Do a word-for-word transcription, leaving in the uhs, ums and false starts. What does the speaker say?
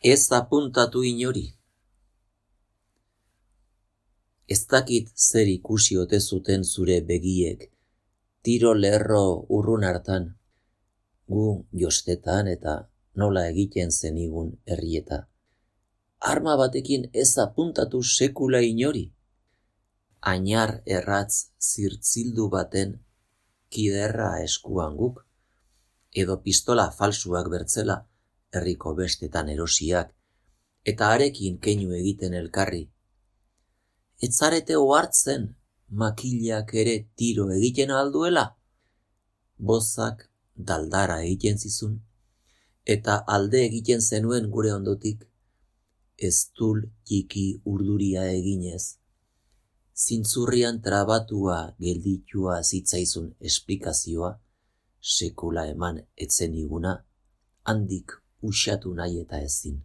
Ez apuntatu inori. Ez dakit zer ikusi ote zuten zure begiek, tiro lerro urrun hartan, gu jostetan eta nola egiten zenigun herrieta. Arma batekin ez apuntatu sekula inori. Ainar erratz zirtzildu baten kiderra eskuan guk, edo pistola falsuak bertzela, herriko bestetan erosiak, eta harekin keinu egiten elkarri. Ez zarete ohartzen makilak ere tiro egiten alduela? Bozak daldara egiten zizun, eta alde egiten zenuen gure ondotik, eztul txiki urduria eginez. Zintzurrian trabatua gelditua zitzaizun esplikazioa, sekula eman etzeniguna, handik usatu nahi eta ezin.